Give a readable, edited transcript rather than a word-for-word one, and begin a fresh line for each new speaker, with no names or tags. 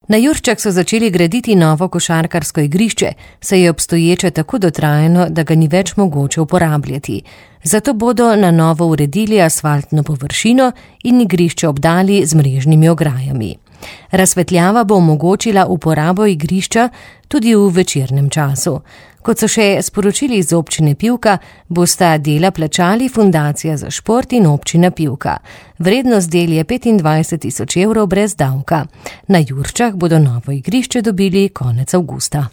Na Jurčah so začeli graditi novo košarkarsko igrišče, saj je obstoječe tako dotrajano, da ga ni več mogoče uporabljati. Zato bodo na novo uredili asfaltno površino in igrišče obdali z mrežnimi ograjami. Razsvetljava bo omogočila uporabo igrišča tudi v večernem času. Kot so še sporočili iz občine Pivka, bosta dela plačali Fundacija za šport in občina Pivka. Vrednost del je 25 000 € brez davka. Na Jurčah bodo novo igrišče dobili konec avgusta.